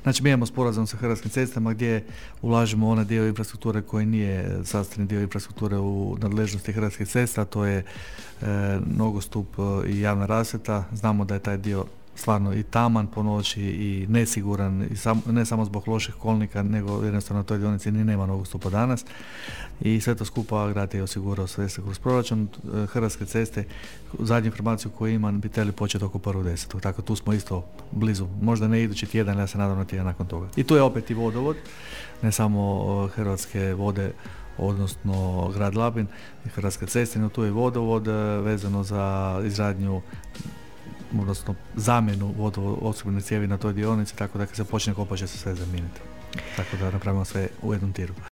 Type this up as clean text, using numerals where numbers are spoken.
Znači mi imamo sporazum sa Hrvatskim cestama gdje ulažemo onaj dio infrastrukture koji nije sastavni dio infrastrukture u nadležnosti Hrvatskih cesta, to je nogostup i javna rasvjeta. Znamo da je taj dio stvarno i taman po noći i nesiguran, i ne samo zbog loših kolnika, nego jednostavno na toj dionici ni nema nogostupa danas. I sve to skupa grad je osigurao sredstva kroz proračun. Hrvatske ceste, zadnju informaciju koju imam, bi trebali početi oko 1.10. Tako tu smo isto blizu. Možda ne idući tjedan, ja se nadam na tjedan nakon toga. I tu je opet i vodovod, ne samo Hrvatske vode, odnosno grad Labin i Hrvatske ceste, no tu je vodovod vezano za izradnju, odnosno zamjenu vodoopskrbne cijevi na toj dionici, tako da kad se počne kopati će se sve zamijeniti. Tako da napravimo sve u jednom tiru.